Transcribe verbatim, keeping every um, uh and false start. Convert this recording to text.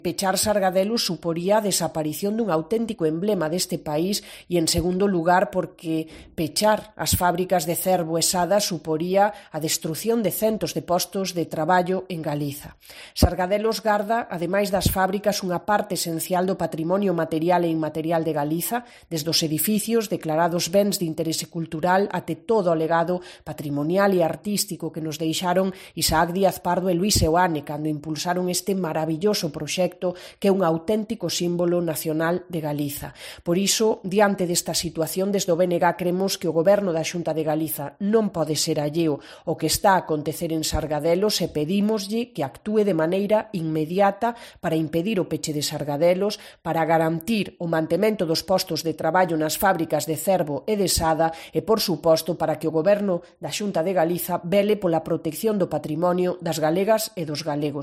Pechar Sargadelos suporía a desaparición dun auténtico emblema deste país e, en segundo lugar, porque pechar as fábricas de Cervo e Sada suporía a destrución de centos de postos de traballo en Galiza. Sargadelos garda, ademais das fábricas, unha parte esencial do patrimonio material e inmaterial de Galiza, desde os edificios declarados bens de interese cultural até todo o legado patrimonial e artístico que nos deixaron Isaac Díaz Pardo e Luis Seoane cando impulsaron este maravilloso proxecto que é un auténtico símbolo nacional de Galiza. Por iso, diante desta situación, desde o B N G cremos que o Goberno da Xunta de Galiza non pode ser alleo ao que está a acontecer en Sargadelos e pedímoslle que actúe de maneira inmediata para impedir o peche de Sargadelos, para garantir o mantemento dos postos de traballo nas fábricas de Cervo e de Sada e, por suposto, para que o Goberno da Xunta de Galiza vele pola protección do patrimonio das galegas e dos galegos.